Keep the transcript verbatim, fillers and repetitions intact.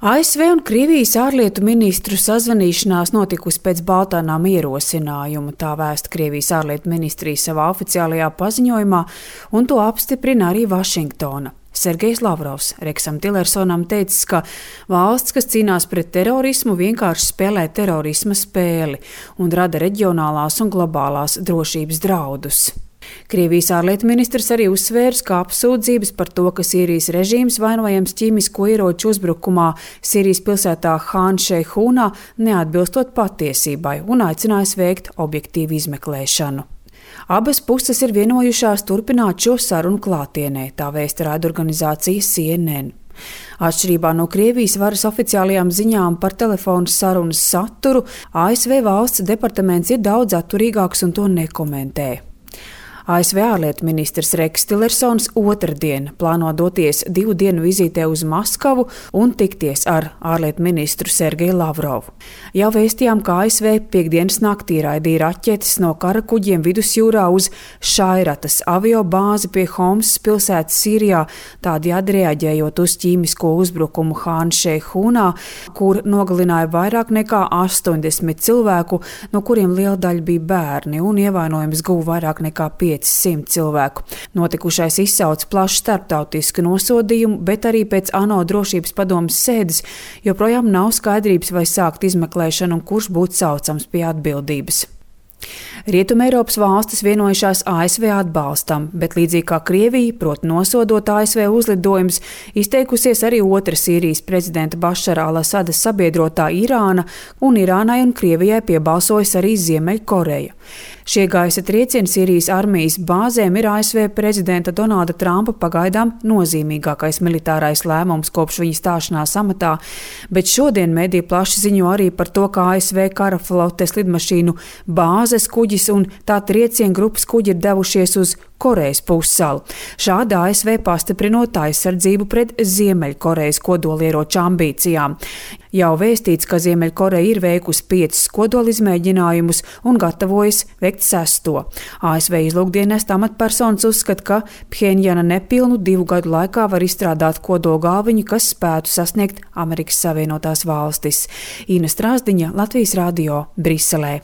A S V un Krievijas ārlietu ministru sazvanīšanās notikusi pēc Baltānām ierosinājuma, tā vēsta Krievijas ārlietu ministrija savā oficiālajā paziņojumā, un to apstiprina arī Vašingtona. Sergejs Lavrovs Reksam Tillersonam teicis, ka valsts, kas cīnās pret terorismu, vienkārši spēlē terorisma spēli un rada reģionālās un globālās drošības draudus. Krievijas ārlietu ministrs arī uzsvērs, ka apsūdzības par to, ka Sīrijas režīms vainojams ķīmisko ieroču uzbrukumā Sīrijas pilsētā Han Šeihunā neatbilstot patiesībai un aicinājis veikt objektīvu izmeklēšanu. Abas puses ir vienojušās turpināt šo sarunu klātienē, tā vēsta raidorganizācija C N N. Atšķirībā no Krievijas varas oficiālajām ziņām par telefonu sarunas saturu, A S V valsts departaments ir daudz atturīgāks un to nekomentē. A S V ārlietu ministrs Reks Tillersons otrdien plāno doties divu dienu vizītē uz Maskavu un tikties ar ārlietu ministru Sergeju Lavrovu. Jau vēstījām, ka A S V piekdienas naktī raidīja raķetes no kara kuģiem vidusjūrā uz Šairatas avio bāzi pie Homsas pilsētas Sīrijā, tādējādi reaģējot uz ķīmisko uzbrukumu Han Šeihunā, kur nogalināja vairāk nekā astoņdesmit cilvēku, no kuriem liela daļa bija bērni, un ievainojums guva vairāk nekā piecsimt cilvēku. Notikušais izsauc plašu starptautisku nosodījumu, bet arī pēc ANO drošības padomes sēdes joprojām nav skaidrības, vai sākt izmeklēšanu un kurš būtu saucams pie atbildības. Rietumeiropas valstis vienojušās A S V atbalstam, bet līdzīgi kā Krievija, proti nosodot A S V uzlidojumus, izteikusies arī otra Sīrijas prezidenta Bašara al-Asada sabiedrotā Irāna, un Irānai un Krievijai piebalsojas arī Ziemeļkoreja. Šie gaisa triecieni Sīrijas armijas bāzēm ir A S V prezidenta Donalda Trumpa pagaidām nozīmīgākais militārais lēmums kopš viņa stāšanās amatā, bet šodien mediji plaši ziņo arī par to, ka A S V kara flotes lidmašīnu bāzes kuģis un tā triecienu grupas kuģi ir devušies uz Korejas pussalu. Šādi A S V pastiprinot aizsardzību pret Ziemeļkorejas kodolieroču ambīcijām. Jau vēstīts, ka Ziemeļkoreja ir veikusi piecus kodolizmēģinājumus un gatavojas veikt sesto. A S V izlūkdienesta amatpersonas uzskata, ka Pjenjana nepilnu divu gadu laikā var izstrādāt kodolgalviņu, kas spētu sasniegt Amerikas Savienotās valstis. Ina Strāzdiņa, Latvijas radio, Briselē.